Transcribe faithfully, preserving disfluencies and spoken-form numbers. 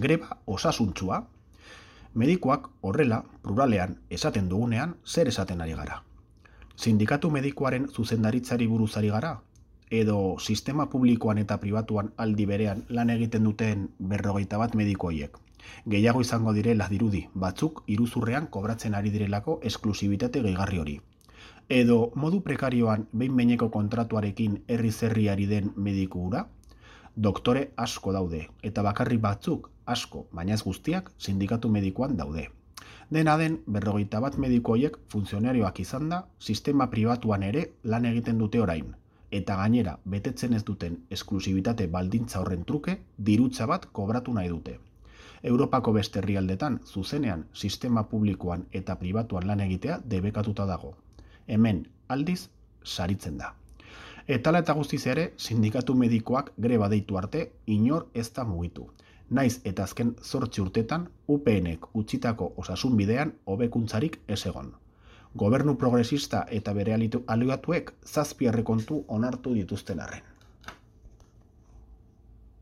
greba osasuntsua. Medikuak horrela, pluralean, esaten dugunean, zer esaten ari gara? Sindikatu medikuaren zuzendaritzari buruz ari gara? Edo sistema publikoan eta pribatuan aldi berean lan egiten duten berrogeita bat mediku horiek? Gehiago izango direla dirudi, batzuk iruzurrean kobratzen ari direlako esklusibitate gehigarri hori. Edo modu prekarioan behin-behineko kontratuarekin herri-zerri ari den mediku hura? Doktore asko daude, eta bakarrik batzuk asko, baina ez guztiak, sindikatu medikuan daude. Dena den, berrogeita bat mediku horiek funtzionarioak izan da, sistema pribatuan ere lan egiten dute orain, eta gainera betetzen ez duten esklusibitate baldintza horren truke, dirutza bat kobratu nahi dute. Europako beste herrialdetan, zuzenean, sistema publikoan eta pribatuan lan egitea debekatuta dago. Hemen, aldiz, saritzen da. Etala eta guztiz ere, sindikatu medikoak greba deitu arte, inor ez da mugitu. Naiz eta azken zortzi urtetan, U PNek utzitako osasun bidean hobekuntzarik ez egon. Gobernu progresista eta bere aliatuek zazpi errekontu onartu dituzten arren.